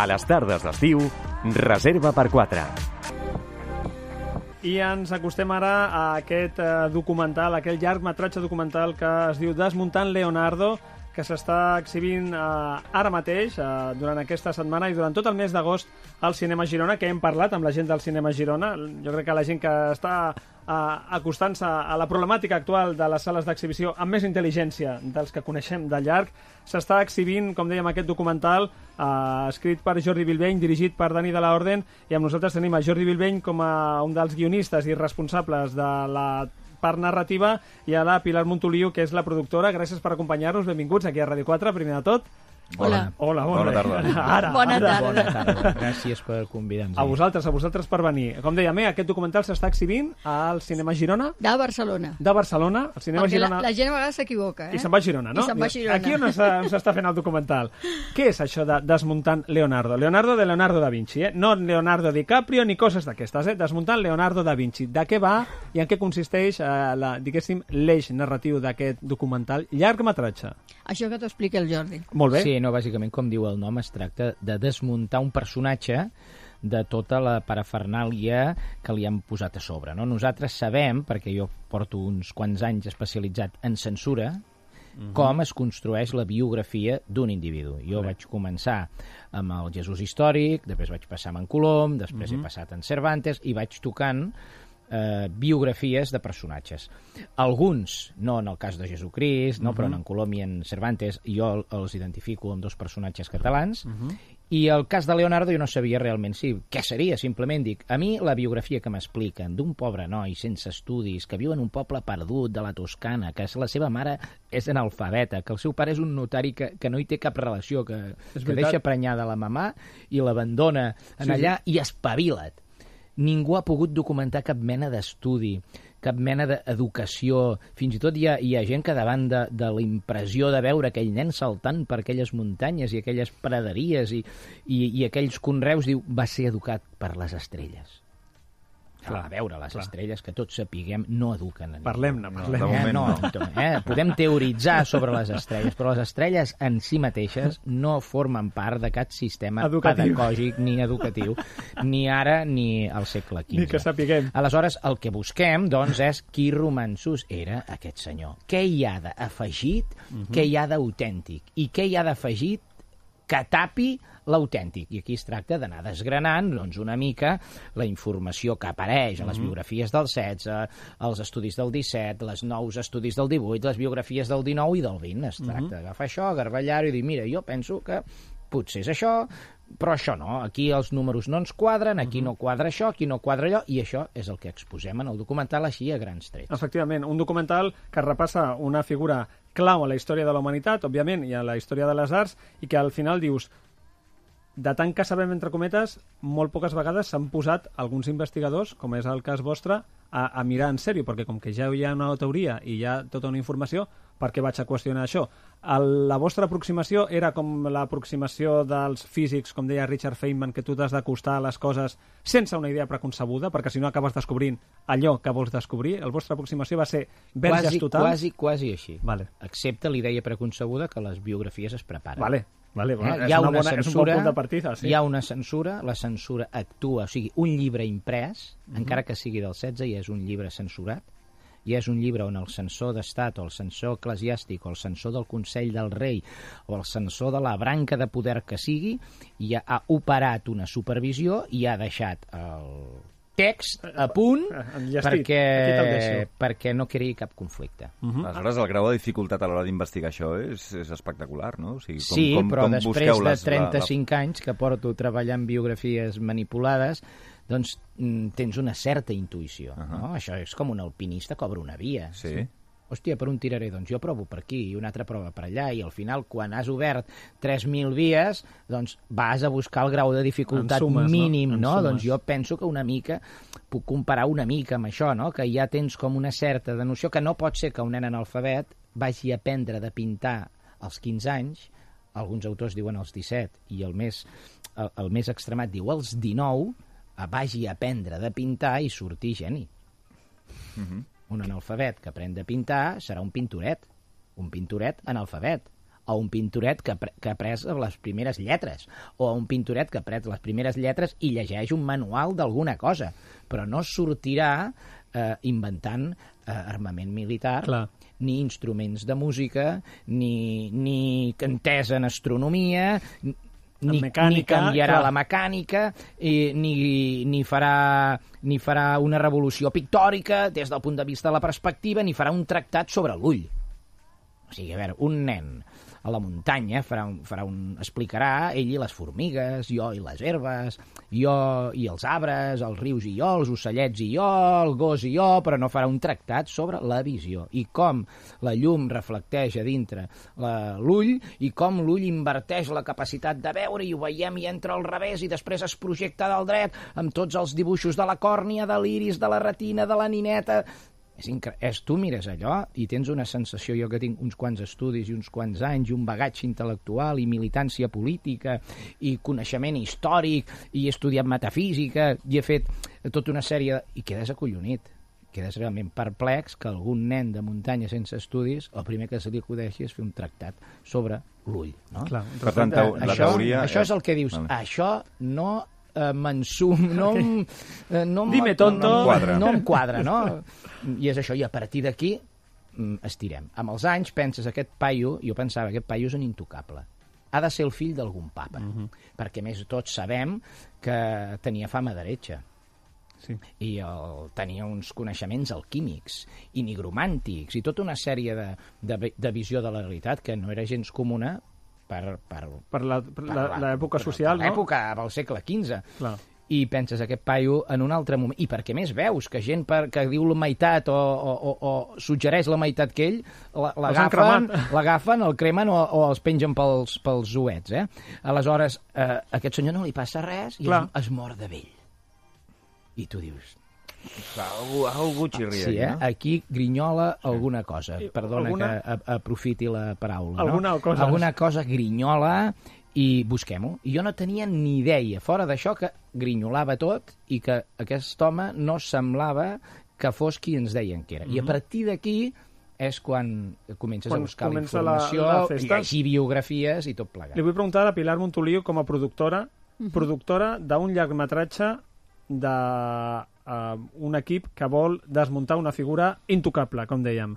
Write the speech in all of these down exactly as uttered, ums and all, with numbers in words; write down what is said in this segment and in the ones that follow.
A les tardes d'estiu, reserva per quatre. I ens acostem ara a aquest eh, documental, aquell llargmetratge documental que es diu Desmuntant Leonardo, que s'està exhibint eh, ara mateix, eh, durant aquesta setmana i durant tot el mes d'agost al Cinema Girona, que hem parlat amb la gent del Cinema Girona. Jo crec que la gent que està eh, acostant-se a la problemàtica actual de les sales d'exhibició amb més intel·ligència dels que coneixem de llarg, s'està exhibint, com dèiem, aquest documental eh, escrit per Jordi Bilbeny, dirigit per Dani de la Orden, i amb nosaltres tenim a Jordi Bilbeny com a un dels guionistes i responsables de la part narrativa, i a la Pilar Montoliu, que és la productora. Gràcies per acompanyar-nos, benvinguts aquí a Ràdio quatre, primer de tot. Hola. Hola, bona, bona tarda. Ara, bona ara. tarda. Bona tarda. Gràcies per convidar-nos. A vosaltres, a vosaltres per venir. Com dèiem, eh, aquest documental s'està exhibint al Cinema Girona De Barcelona. de Barcelona. El Cinema Perquè Girona... la, la gent a vegades s'equivoca, eh? I se'n va a Girona, no? I se'n va a Girona. Aquí on s'ha- on s'està fent el documental. Què és això de Desmuntant Leonardo? Leonardo de Leonardo da Vinci, eh? No Leonardo DiCaprio ni coses d'aquestes, eh? Desmuntant Leonardo da Vinci. De què va i en què consisteix, eh, la, diguéssim, l'eix narratiu d'aquest documental llargmetratge? Això que t'ho explica el Jordi. Molt bé. Sí, no, bàsicament, com diu el nom, es tracta de desmuntar un personatge de tota la parafernàlia que li han posat a sobre. No? Nosaltres sabem, perquè jo porto uns quants anys especialitzat en censura, mm-hmm. com es construeix la biografia d'un individu. Jo Bé. vaig començar amb el Jesús històric, després vaig passar amb en Colom, després Mhm. he passat en Cervantes, i vaig tocant eh, biografies de personatges. Alguns, no en el cas de Jesucrist, no, Mhm. però en Colom i en Cervantes jo els identifico amb dos personatges catalans, Mhm. i el cas de Leonardo jo no sabia realment sí, què seria, simplement dic, a mi la biografia que m'expliquen d'un pobre noi sense estudis, que viu en un poble perdut de la Toscana, que la seva mare és analfabeta, que el seu pare és un notari que, que no hi té cap relació, que, És que veritat. deixa prenyada la mamà i l'abandona en Sí, sí. allà i espavila't. Ningú ha pogut documentar cap mena d'estudi, cap mena d'educació. Fins i tot hi ha, hi ha gent que davant de, de la impressió de veure aquell nen saltant per aquelles muntanyes i aquelles praderies i, i, i aquells conreus, diu, va ser educat per les estrelles. Clar, a veure, les clar. estrelles, que tots sapiguem, no eduquen a ningú. Parlem-ne, de parlem-ne. moment Eh, no, no. eh? Podem teoritzar sobre les estrelles, però les estrelles en si mateixes no formen part de cap sistema Educatiu. pedagògic ni educatiu, ni ara ni al segle quinze. Ni que sapiguem. Aleshores, el que busquem, doncs, és qui romanços era aquest senyor. Què hi ha d'afegit, Mhm. què hi ha d'autèntic, i què hi ha d'afegit que tapi l'autèntic. I aquí es tracta d'anar desgranant doncs, una mica la informació que apareix a les biografies del setze, als estudis del disset, les nous estudis del divuit, les biografies del dinou i del vint. Es tracta d'agafar això, garballar-ho i dir, mira, jo penso que potser és això, però això no. Aquí els números no ens quadren, aquí no quadra això, aquí no quadra allò, i això és el que exposem en el documental així a grans trets. Efectivament, un documental que repassa una figura clau a la història de la humanitat, òbviament, i a la història de les arts, i que al final dius, de tant que sabem, entre cometes, molt poques vegades s'han posat alguns investigadors, com és el cas vostre, a, a mirar en sèrio, perquè com que ja hi ha una teoria i hi ha tota una informació, per què vaig a qüestionar això? El, la vostra aproximació era com l'aproximació dels físics, com deia Richard Feynman, que tu t'has d'acostar a les coses sense una idea preconcebuda, perquè si no acabes descobrint allò que vols descobrir. La vostra aproximació va ser verges Quasi, total? quasi, quasi així. Vale. Excepte l'idea preconcebuda que les biografies es preparen. Vale, vale, bueno, Eh? és, Hi ha una una bona, és un bon censura, punt de partida. Sí. hi ha una censura, la censura actua, o sigui, un llibre imprès, Mhm. encara que sigui del setze, ja és un llibre censurat, ja és un llibre on el censor d'estat o el censor eclesiàstic o el censor del Consell del Rei o el censor de la branca de poder que sigui ja ha operat una supervisió i ha deixat el text a punt Enllestit. perquè, Aquí te'l deixo. perquè no creï cap conflicte. Mhm. Aleshores, el grau de dificultat a l'hora d'investigar això és, és espectacular, no? O sigui, com, Sí, com, però com després busqueu de les- trenta-cinc anys que porto treballant biografies manipulades, doncs mm, tens una certa intuïció. Ahà. No? Això és com un alpinista cobra una via. La... Sí. Hòstia, per on tiraré? Doncs jo provo per aquí i una altra prova per allà, i al final, quan has obert tres mil vies, doncs vas a buscar el grau de dificultat En sumes, no? mínim, En no? sumes. Doncs jo penso que una mica, puc comparar una mica amb això, no? Que ja tens com una certa de noció que no pot ser que un nen analfabet vagi a aprendre de pintar als quinze anys, alguns autors diuen als disset, i el més, el, el més extremat diu als dinou, vagi a aprendre de pintar i sortir geni. Uh -huh. Un analfabet que aprèn de pintar serà un pintoret, un pintoret analfabet. a un pintoret que, que ha après les primeres lletres, o a un pintoret que ha après les primeres lletres i llegeix un manual d'alguna cosa, però no sortirà eh, inventant eh, armament militar, Clar. ni instruments de música, ni, ni entesa en astronomia, ni, mecànica, ni canviarà clar. la mecànica, i, ni, ni, farà, ni farà una revolució pictòrica des del punt de vista de la perspectiva, ni farà un tractat sobre l'ull. O sigui, a veure, un nen a la muntanya farà un, farà un, explicarà ell i les formigues, jo i les herbes, jo i els arbres, els rius i jo, els ocellets i jo, el gos i jo, però no farà un tractat sobre la visió i com la llum reflecteix a dintre la, l'ull i com l'ull inverteix la capacitat de veure i ho veiem i entra al revés i després es projecta del dret amb tots els dibuixos de la còrnia, de l'iris, de la retina, de la nineta. És incre... és, tu mires allò i tens una sensació, jo que tinc uns quants estudis i uns quants anys, i un bagatge intel·lectual i militància política i coneixement històric i he estudiat metafísica i he fet tota una sèrie de... i quedes acollonit, quedes realment perplex que algun nen de muntanya sense estudis el primer que se li acudeixi és fer un tractat sobre l'ull, no? Clar, Per tant, la això, teoria... això és el que dius, Vale. això no eh, m'ensum, no, em- eh, no, em- Dime, tonto. no, No em quadra. no em quadra, no? I és això, i a partir d'aquí mm, estirem. Amb els anys penses, aquest paio, jo pensava, aquest paio és un intocable. Ha de ser el fill d'algun papa, uh -huh. perquè més tots sabem que tenia fama d'heretge. Sí. I el, tenia uns coneixements alquímics i nigromàntics i tota una sèrie de, de, de visió de la realitat que no era gens comuna per, per, Per la- per la- per l'època per- social, per no? l'època del segle quinze. Clar. I penses, aquest paio, en un altre moment... I perquè més veus que gent per, que diu la meitat o, o, o, o suggereix la meitat que ell, la- l'agafen, l'agafen, el cremen o, o els pengen pels, pels uets, eh? Aleshores, eh, a aquest senyor no li passa res i Clar. es, es mor de vell. I tu dius... Algú, algú xirria, Sí, eh? no? Aquí grinyola alguna cosa. Perdona alguna- que a, aprofiti la paraula. Alguna no? cosa. Alguna cosa grinyola i busquem-ho. I jo no tenia ni idea, fora d'això, que grinyolava tot i que aquest home no semblava que fos qui ens deien que era. I a partir d'aquí és quan comences Quan a buscar la comença la- informació, la festa. llegir biografies i tot plegat. Li vull preguntar a Pilar Montoliu, com a productora, productora d'un llargmetratge d'un uh, equip que vol desmuntar una figura intocable, com dèiem.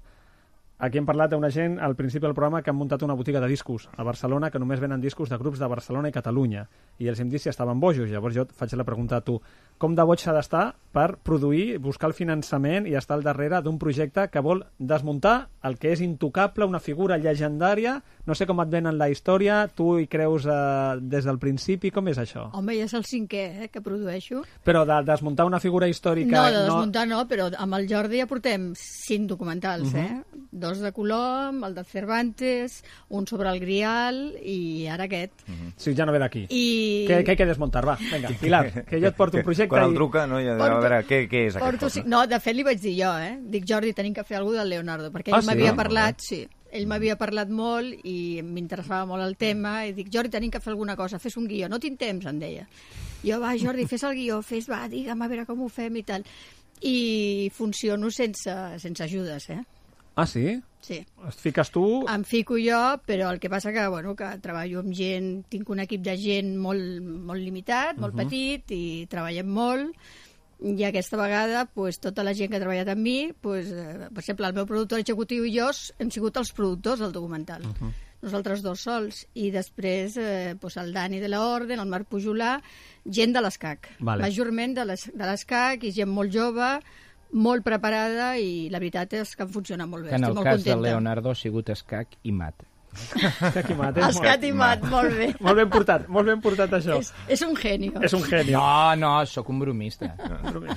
Aquí hem parlat d'una gent al principi del programa que han muntat una botiga de discos a Barcelona que només venen discos de grups de Barcelona i Catalunya. I els hem dit si estaven bojos. Llavors jo et faig la pregunta a tu. Com de boig s'ha d'estar per produir, buscar el finançament i estar al darrere d'un projecte que vol desmuntar el que és intocable, una figura llegendària? No sé com et venen la història, tu hi creus eh, des del principi, com és això? Home, ja és el cinquè eh, que produeixo. Però de desmuntar una figura històrica... No, de desmuntar no, però amb el Jordi ja portem cinc documentals, uh -huh. eh? Dos de Colom, el de Cervantes, un sobre el Grial i ara aquest. Uh -huh. Sí, ja no ve d'aquí. I... Què, què hay que desmuntar? Va, vinga, Pilar, que jo et porto un projecte Quan el i... truca, no? Ja, Porto- a veure, què, què és Porto... aquest? ci- No, de fet li vaig dir jo, eh? Dic, Jordi, tenim que fer alguna cosa del Leonardo, perquè Ah, ell sí? m'havia Ah, parlat, sí, ell m'havia parlat molt i m'interessava molt el tema i dic, Jordi, tenim que fer alguna cosa, fes un guió, no tinc temps, em deia. Jo, va, Jordi, fes el guió, fes, va, digue'm a veure com ho fem i tal. I funciono sense, sense ajudes, eh? Ah, sí? Sí. Et fiques tu... Em fico jo, però el que passa que, bueno, que treballo amb gent, tinc un equip de gent molt, molt limitat, molt uh -huh. petit, i treballem molt, i aquesta vegada pues, tota la gent que ha treballat amb mi, pues, eh, per exemple, el meu productor executiu i jo hem sigut els productors del documental. Uh -huh. Nosaltres dos sols. I després eh, pues, el Dani de la Orden, el Marc Pujolà, gent de l'ESCAC. Vale. Majorment de l'es- de l'ESCAC i gent molt jove, molt preparada, i la veritat és que em funciona molt bé. Que en Estic el molt cas contenta. de Leonardo ha sigut escac i mat. Escac i mat, és Escat i mat, molt bé. molt ben portat, molt ben portat això. És, és un genio. És un geni. No, no, sóc un bromista.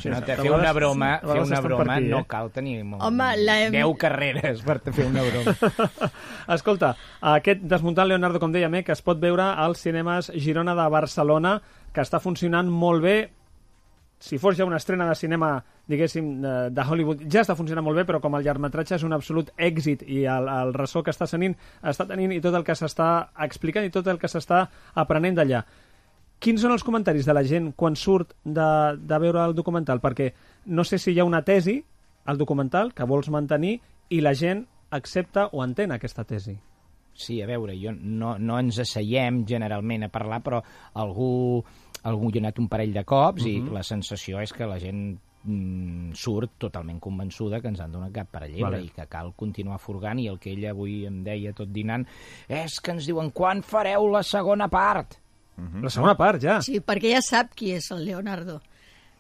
Si no, te fer una broma, fer una broma no cal tenir molt, Home, la- deu carreres per fer una broma. Escolta, aquest Desmuntant Leonardo, com dèiem, eh, que es pot veure als cinemes Girona de Barcelona, que està funcionant molt bé. Si fos ja una estrena de cinema, diguéssim, de, de Hollywood, ja està funcionant molt bé, però com el llargmetratge és un absolut èxit i el, el ressò que està tenint, està tenint i tot el que s'està explicant i tot el que s'està aprenent d'allà. Quins són els comentaris de la gent quan surt de, de veure el documental? Perquè no sé si hi ha una tesi al documental que vols mantenir i la gent accepta o entén aquesta tesi. sí, a veure, jo no, no ens asseiem generalment a parlar, però algú, algú hi ha anat un parell de cops uh-huh. i la sensació és que la gent mm, surt totalment convençuda que ens han donat cap per a llebre vale. I que cal continuar furgant, i el que ell avui em deia tot dinant és que ens diuen quan fareu la segona part? Uh-huh. La segona part, ja? Sí, perquè ja sap qui és el Leonardo.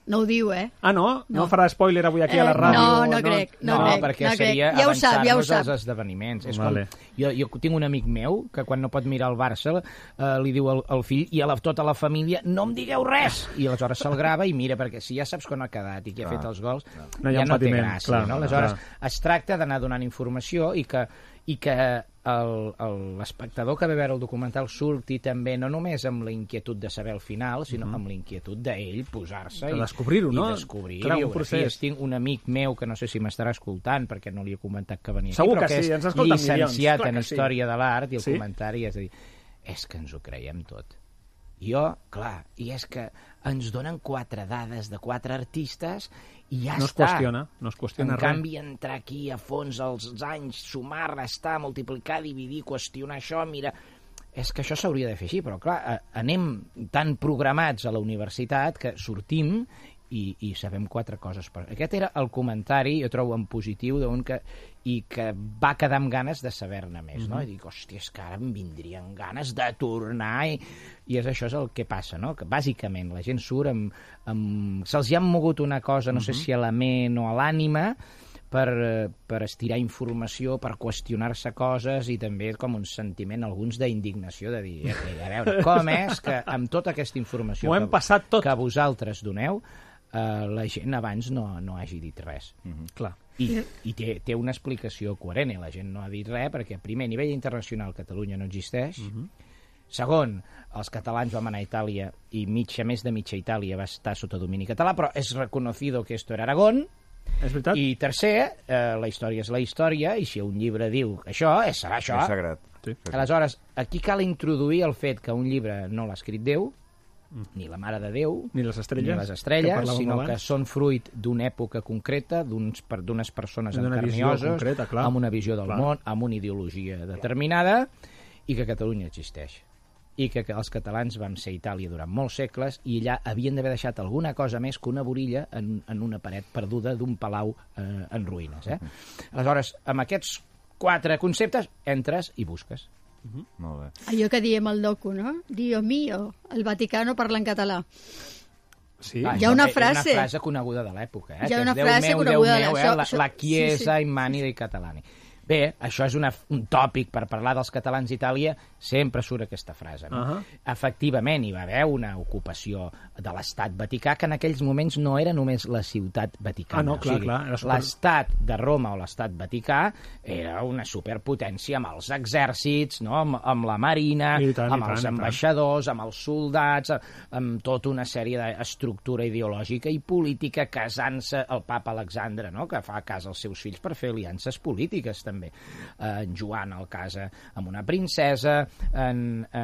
No ho diu, eh? Ah, no? No, no farà spoiler avui aquí eh, a la ràdio? No, no, no crec. No, no crec, perquè no seria crec. Ja ho sap, ja ho avançar-nos sap. als esdeveniments. És vale. com, jo, jo tinc un amic meu que quan no pot mirar el Barça eh, li diu al, al fill i a la, tota la família no em digueu res! I aleshores se'l grava i mira, perquè si ja saps quan ha quedat i qui ha fet els gols, no, ja no té patiment, gràcia. clar, No? Aleshores, clar. es tracta d'anar donant informació i que, i que l'espectador que ve a veure el documental surti també no només amb la inquietud de saber el final, sinó uh-huh. amb la inquietud d'ell posar-se de descobrir-ho, no? I descobrir clar, biografies. Tinc un amic meu que no sé si m'estarà escoltant perquè no li he comentat que venia segur aquí, però que, que sí, és ens escolten llicenciat milions. en Història sí. de l'Art i el sí? comentari és a dir, és que ens ho creiem tot. Jo, clar, i és que ens donen quatre dades de quatre artistes i ja no es està. Qüestiona, no es qüestiona en res. canvi, entrar aquí a fons els anys, sumar, restar, multiplicar, dividir, qüestionar això, mira... És que això s'hauria de fer així, però clar, anem tan programats a la universitat que sortim i, i sabem quatre coses. Aquest era el comentari, jo trobo en positiu, d'un que, i que va quedar amb ganes de saber-ne més, mm-hmm. no? I dic, hòstia, és que ara em vindrien ganes de tornar, i, i és això és el que passa, no? Que bàsicament la gent surt amb... amb se'ls hi ha mogut una cosa, no mm-hmm. sé si a la ment o a l'ànima, per, per estirar informació, per qüestionar-se coses, i també com un sentiment, alguns d'indignació, de dir, a veure, com és que amb tota aquesta informació hem que, passat tot. que vosaltres doneu, eh, la gent abans no, no hagi dit res. Mm-hmm. Clar. I, i té, té una explicació coherent, i la gent no ha dit res, perquè primer, a nivell internacional, Catalunya no existeix. Mm-hmm. Segon, els catalans vam anar a Itàlia i mitja, més de mitja Itàlia va estar sota domini català, però és reconocido que esto era Aragón. És veritat? I tercer, eh, la història és la història, i si un llibre diu això, és, serà això. És sagrat. Sí. Aleshores, aquí cal introduir el fet que un llibre no l'ha escrit Déu, mm. ni la Mare de Déu, ni les estrelles, ni les estrelles que sinó abans. Que són fruit d'una època concreta, d'unes per, persones d'una encarnioses, concreta, clar. amb una visió del clar. món, amb una ideologia determinada, i que Catalunya existeix. I que, que els catalans vam ser a Itàlia durant molts segles i allà havien d'haver deixat alguna cosa més que una borilla en, en una paret perduda d'un palau eh, en ruïnes. Eh? Aleshores, amb aquests quatre conceptes, entres i busques. Uh-huh. Molt bé. Allò que diem al docu, no? Dio mio, el Vaticano parla en català. Sí. Ah, hi ha una frase. Una frase coneguda de l'època. Eh? Hi ha una Déu frase meu, coneguda Déu meu, de eh? això. La, la chiesa sí, sí. immani dei catalani. Bé, això és una, un tòpic per parlar dels catalans d'Itàlia, sempre surt aquesta frase. No? Uh-huh. Efectivament, hi va haver una ocupació de l'estat Vaticà, que en aquells moments no era només la ciutat vaticana. Ah, no, clar, o sigui, clar. Era super... l'estat de Roma o l'estat Vaticà era una superpotència amb els exèrcits, no? amb, amb la marina, I tant, amb i els tant, ambaixadors, amb els soldats, amb tota una sèrie d'estructura ideològica i política, casant-se el papa Alexandre, no? Que fa cas als seus fills per fer aliances polítiques, també. En Joan el casa amb una princesa, en, eh,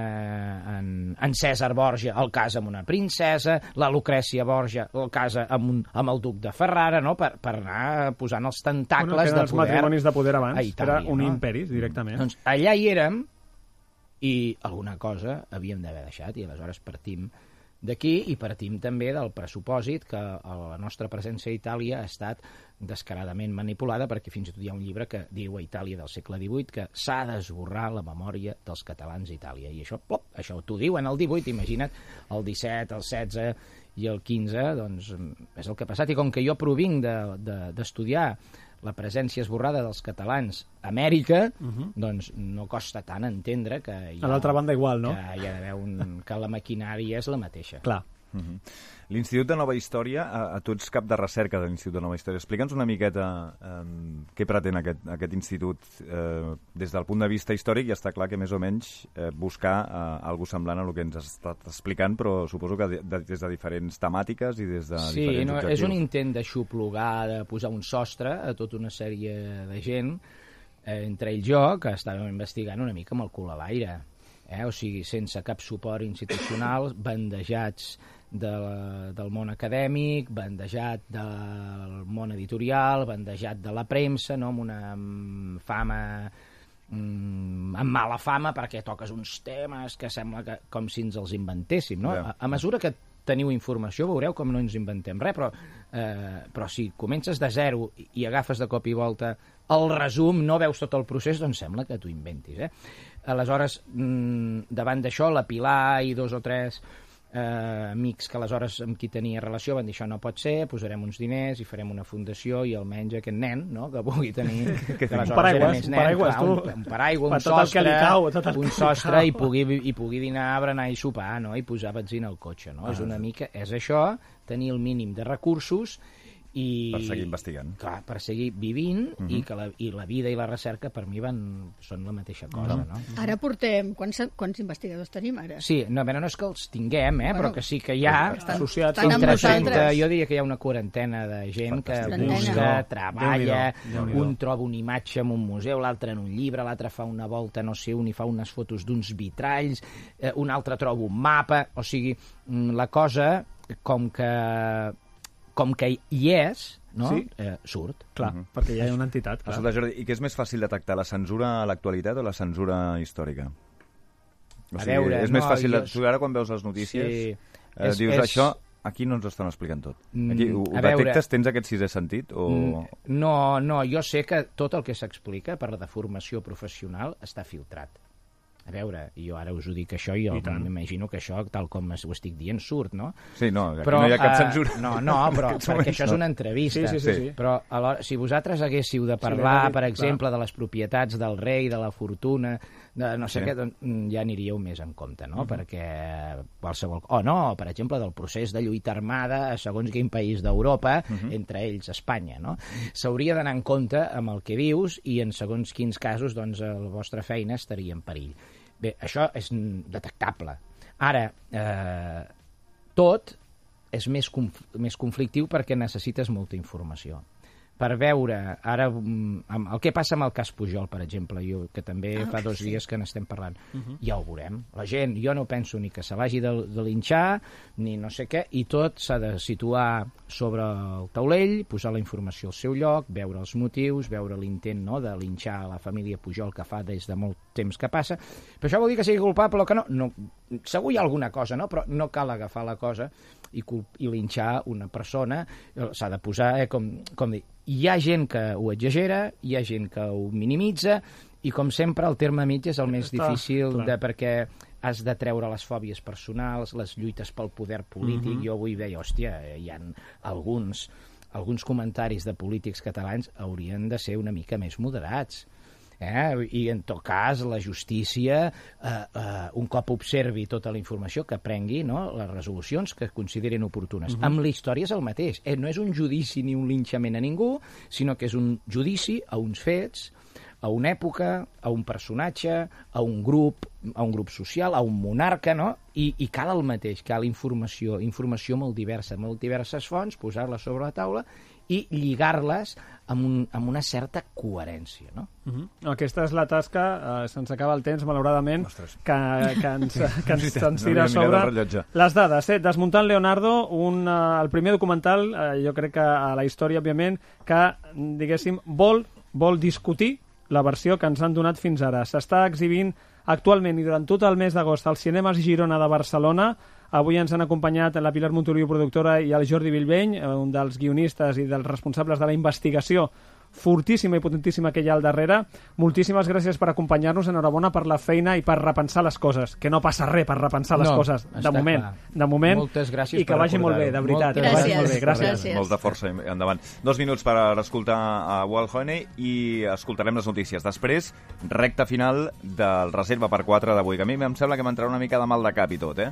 en, en Cèsar Borgia el casa amb una princesa, la Lucrècia Borgia el casa amb, un, amb el duc de Ferrara, no? per, per anar posant els tentacles bueno, de els poder matrimonis de poder abans, a Itàlia. era un no? imperi, directament. Doncs allà hi érem i alguna cosa havíem d'haver deixat, i aleshores partim d'aquí i partim també del pressupòsit que la nostra presència a Itàlia ha estat descaradament manipulada, perquè fins i tot hi ha un llibre que diu a Itàlia del segle divuit que s'ha d'esborrar la memòria dels catalans a Itàlia, i això, plop, això t'ho diu en el divuit, imagina't, el disset, el setze i el quinze, doncs és el que ha passat, i com que jo provinc d'estudiar de, de, la presència esborrada dels catalans a Amèrica, uh-huh. doncs no costa tant entendre que hi ha, a l'altra banda igual, no? Que hi ha d'haver un, que la maquinària és la mateixa. Clar. Uh-huh. L'Institut de Nova Història, a, a tu ets cap de recerca de l'Institut de Nova Història. Explica'ns una miqueta eh, què pretén aquest, aquest institut eh, des del punt de vista històric, i està clar que més o menys eh, buscar eh, alguna semblant a el que ens has estat explicant, però suposo que de, de, des de diferents temàtiques i des de sí, diferents no, objectius. És un intent d'aixoplugar, de posar un sostre a tota una sèrie de gent, eh, entre ells jo, que estàvem investigant una mica amb el cul a l'aire. Eh? O sigui, sense cap suport institucional, bandejats de la, del món acadèmic, bandejat del món editorial, bandejat de la premsa, no? Amb una amb fama mm, amb mala fama perquè toques uns temes que sembla que, com si ens els inventéssim, no? Ja. A, a mesura que teniu informació veureu com no ens inventem res, però, eh, però si comences de zero i, i agafes de cop i volta el resum, no veus tot el procés, doncs sembla que t'ho inventis, eh? Aleshores, mm, davant d'això, la Pilar i dos o tres eh, amics que aleshores amb qui tenia relació van dir això no pot ser, posarem uns diners i farem una fundació i almenys aquest nen, no?, que pugui tenir... que aleshores paraigües, era més nen, paraigües, clar, tu. un, un paraigua, un Per tot el que sostre, li cau, tot el un que li sostre cau. i pugui, i pugui dinar, berenar i sopar, no?, i posar benzina al cotxe, no? Ah, és una sí. mica... És això, tenir el mínim de recursos i... Per seguir investigant. Clar, per seguir vivint uh -huh. i que la, i la vida i la recerca per mi van, són la mateixa cosa, uh -huh. no? Ara portem... Quants, quants investigadors tenim ara? Sí, no, a veure, no és que els tinguem, eh, Bueno, però que sí que hi ha... estan associats estan amb entre trenta, nosaltres. jo diria que hi ha una quarantena de gent que Fantàstic. busca, Déu-n'hi-do. treballa, Déu-n'hi-do. un troba una imatge en un museu, l'altre en un llibre, l'altre fa una volta no sé on i fa unes fotos d'uns vitralls, eh, un altre troba un mapa, o sigui, mm, la cosa com que com que hi és, no? Sí. Eh, surt. Clar, uh -huh. perquè ja hi ha una entitat. Clar. Escolta, Jordi, i què és més fàcil detectar, la censura a l'actualitat o la censura històrica? O A sigui, veure, és més no, fàcil... jo- De... Tu ara quan veus les notícies Sí. eh, És- dius és- això... Aquí no ens estan explicant tot. Aquí ho, Mm, ho a veure- detectes? Tens aquest sisè sentit? O... Mm, No, no, jo sé que tot el que s'explica per la de formació professional està filtrat. A veure, jo ara us ho dic això i jo m'imagino que això, tal com ho estic dient, surt, no? Sí, no, aquí Però, no hi ha cap eh, censura. No, no, però aquests perquè moments això és no. una entrevista. Sí, sí, sí, sí. Però alhora, si vosaltres haguéssiu de Sí, parlar, sí, per clar. exemple, de les propietats del rei, de la fortuna, de no sé Sí. què, doncs mm, ja aniríeu més en compte, no? Uh -huh. Perquè qualsevol... O no, per exemple, del procés de lluita armada a segons quin país d'Europa, uh -huh. entre ells Espanya, no? S'hauria d'anar en compte amb el que dius i en segons quins casos, doncs, la vostra feina estaria en perill. Bé, això és detectable. Ara, eh, tot és més, conf més conflictiu perquè necessites molta informació. Per veure, ara, amb el que passa amb el cas Pujol, per exemple, jo, que també Ah, fa dos sí. dies que n'estem parlant, uh -huh. ja ho veurem. La gent, jo no penso ni que se l'hagi de, de linxar, ni no sé què, i tot s'ha de situar sobre el taulell, posar la informació al seu lloc, veure els motius, veure l'intent, no?, de linxar la família Pujol que fa des de molt temps que passa. Però això vol dir que sigui culpable o que no? No, segur hi ha alguna cosa, no? Però no cal agafar la cosa i, i linxar una persona. S'ha de posar, eh, com, com dir, hi ha gent que ho exagera, hi ha gent que ho minimitza, i com sempre el terme mig és el més Està, difícil clar. de, perquè has de treure les fòbies personals, les lluites pel poder polític. Jo avui veia, hòstia, hi ha alguns, alguns comentaris de polítics catalans haurien de ser una mica més moderats. Eh? I en tot cas la justícia eh, eh, un cop observi tota la informació que prengui, no?, les resolucions que considerin oportunes. Uh -huh. Amb la història és el mateix, eh? No és un judici ni un linxament a ningú, sinó que és un judici a uns fets, a una època, a un personatge, a un grup, a un grup social, a un monarca, no? I, i cal el mateix, cal informació, informació molt diversa, molt diverses fonts, posar-les sobre la taula i lligar-les amb, un, amb una certa coherència, no? Uh -huh. Aquesta és la tasca, eh, se'ns acaba el temps, malauradament, Ostres. que, que ens, que ens, Sí, ens no tira a havia mirat el sobre rellotge. les dades. Eh? Desmuntant Leonardo, un, eh, el primer documental, eh, jo crec que a la història, òbviament, que, diguéssim, vol, vol discutir la versió que ens han donat fins ara. S'està exhibint actualment i durant tot el mes d'agost als cinemes Girona de Barcelona. Avui ens han acompanyat la Pilar Montoliu, productora, i el Jordi Bilbeny, un dels guionistes i dels responsables de la investigació fortíssima i potentíssima que hi ha al darrere. Moltíssimes gràcies per acompanyar-nos. Enhorabona per la feina i per repensar les coses. Que no passa res per repensar les No, coses. De està moment. clar. De moment. Moltes gràcies I que per vagi molt bé, de recordar-ho. veritat. Moltes Que vagi gràcies. molt bé. Gràcies. Gràcies. Molta força i endavant. Dos minuts per escoltar a Walt Honey i escoltarem les notícies. Després, recta final del Reserva per quatre d'avui, que a mi em sembla que m'entrarà una mica de mal de cap i tot, eh?